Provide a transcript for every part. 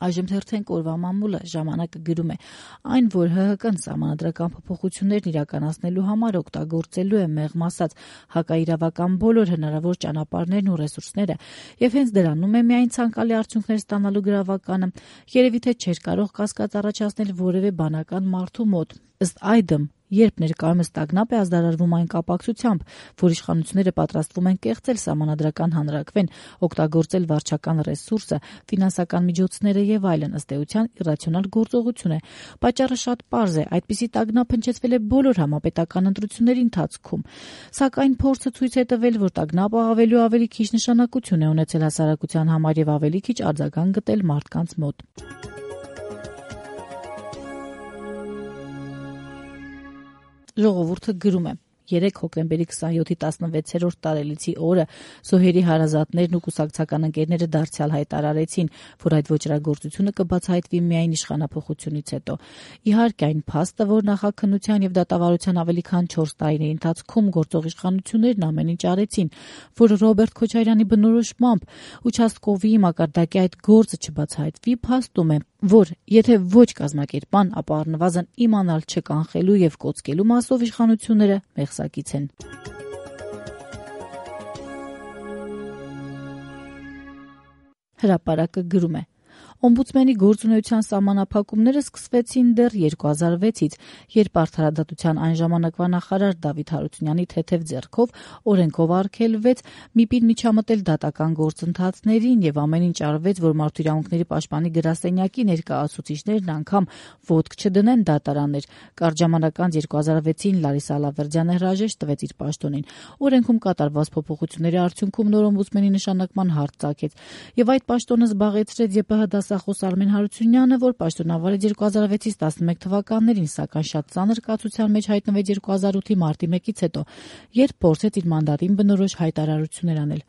Այժմ թերթենք օրվա մամուլը ժամանակը գրում է. այն, որ ՀՀԿ-ն սահմանադրական փոփոխություններն իրականացնելու համար օգտագործելու է մեղմ ասած հակաիրավական բոլոր հնարավոր ճանապարհներն ու ռեսուրսները եւ հենց դրանում է միայն ցանկալի արդյունքներ ստանալու գրավականը, երևի թե չէր կարող կասկած առաջացնել որևէ բանական մարդու մոտ։ Ըստ այդմ, երբ ներկայումս տագնապ է ազդարարվում այն կապակցությամբ, որ իշխանությունները պատրաստվում են կեղծել սահմանադրական հանրաքվեն, օգտագործել վարչական ռեսուրսը, ֆինանսական միջոցները եւ այլն, ըստ էության իռացիոնալ գործողություն է։ Պատճառը շատ պարզ է, այդպիսի տագնապ հնչեցվել է բոլոր համապետական ընտրությունների ընթացքում։ Սակայն փորձը ցույց է տվել, որ տագնապը ավելի ու ավելի քիչ նշանակություն է ունեցել հասարակության համար եւ ավելի քիչ արձագանք գտել մարդկանց մոտ։ Ժողովուրդը գրում է. 3 հոկտեմբերի 27-ի 16-րդ տարելիցի օրը Զոհերի հարազատներն ու կուսակցական ընկերները դարձյալ հայտարարեցին, որ այդ ոճրագործությունը կբացահայտվի միայն իշխանափոխությունից հետո։ Իհարկե, այն փաստը, որ նախաքննության եւ դատավարության ավելի քան 4 տարիների ընթացքում գործող իշխանություններն ամեն ինչ արեցին, որ Ռոբերտ Քոչարյանի բնորոշմամբ участковի մակարդակի այդ գործը չբացահայտվի, փաստում է, որ եթե ոչ կազմակերպման, ապա առնվազն իմանալ չկանխելու եւ կոծկելու մասով իշխանությունները մեղսակից են։ Հրապարակը գրում է. Օմբուդսմենի գործունեության սահմանափակումները սկսվեցին դեռ 2006-ից, երբ Արդարադատության այն ժամանակվա նախարար Դավիթ Հարությունյանի թեթև ձեռքով օրենքով արգելվեց ՄԻՊ-ին միջամտել դատական գործընթացներին եւ ամեն ինչ արվեց, որ Մարդու իրավունքների պաշտպանի գրասենյակի ներկայացուցիչներն անգամ ոտք չդնեն դատարաններ։ Կարճ ժամանակ անց 2006-ին Լարիսա Ալավերդյանը հրաժեշտ տվեց իր պաշտոնին։ Օրենքում կատարված փոփոխությունների արդյունքում նոր օմբուդսմենի նշանակման հարց ծագեց եւ այդ պաշտոնը զբաղեցրեց ԵՊՀ դասախոս Արմեն Հարությունյանը, որ պաշտոնավարեց 2006-ից 11 թվականներին, սակայն շատ ծանր կացության մեջ հայտնվեց 2008-ի մարտի 1-ից հետո, երբ փորձեց իր մանդատին բնորոշ հայտարարություններ անել։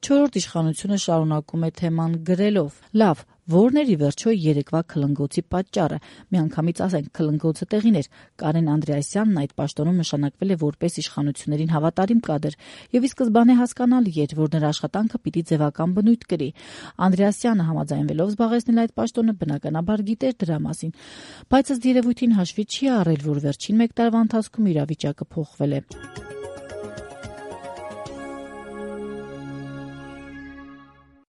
Չորրորդ իշխանությունը շարունակում է թեման գրելով. լավ, որն էր ի վերջո երեկվա քլնգոցի պատճառը։ Միանգամից ասենք, քլնգոցը տեղին էր։ Կարեն Անդրեասյանն այդ պաշտոնում նշանակվել է որպես իշխանություններին հավատարիմ կադր, եւ ի սկզբանե հասկանալի էր, որ նրա աշխատանքը պիտի ձևական բնույթ կրի։ Անդրեասյանը համաձայնվելով զբաղեցնել այդ պաշտոնը բնականաբար գիտեր դրա մասին, բայց ըստ երևույթին հաշվի չի առել, որ վերջին 1 տարվա ընթացքում իրավիճակը փոխվել է։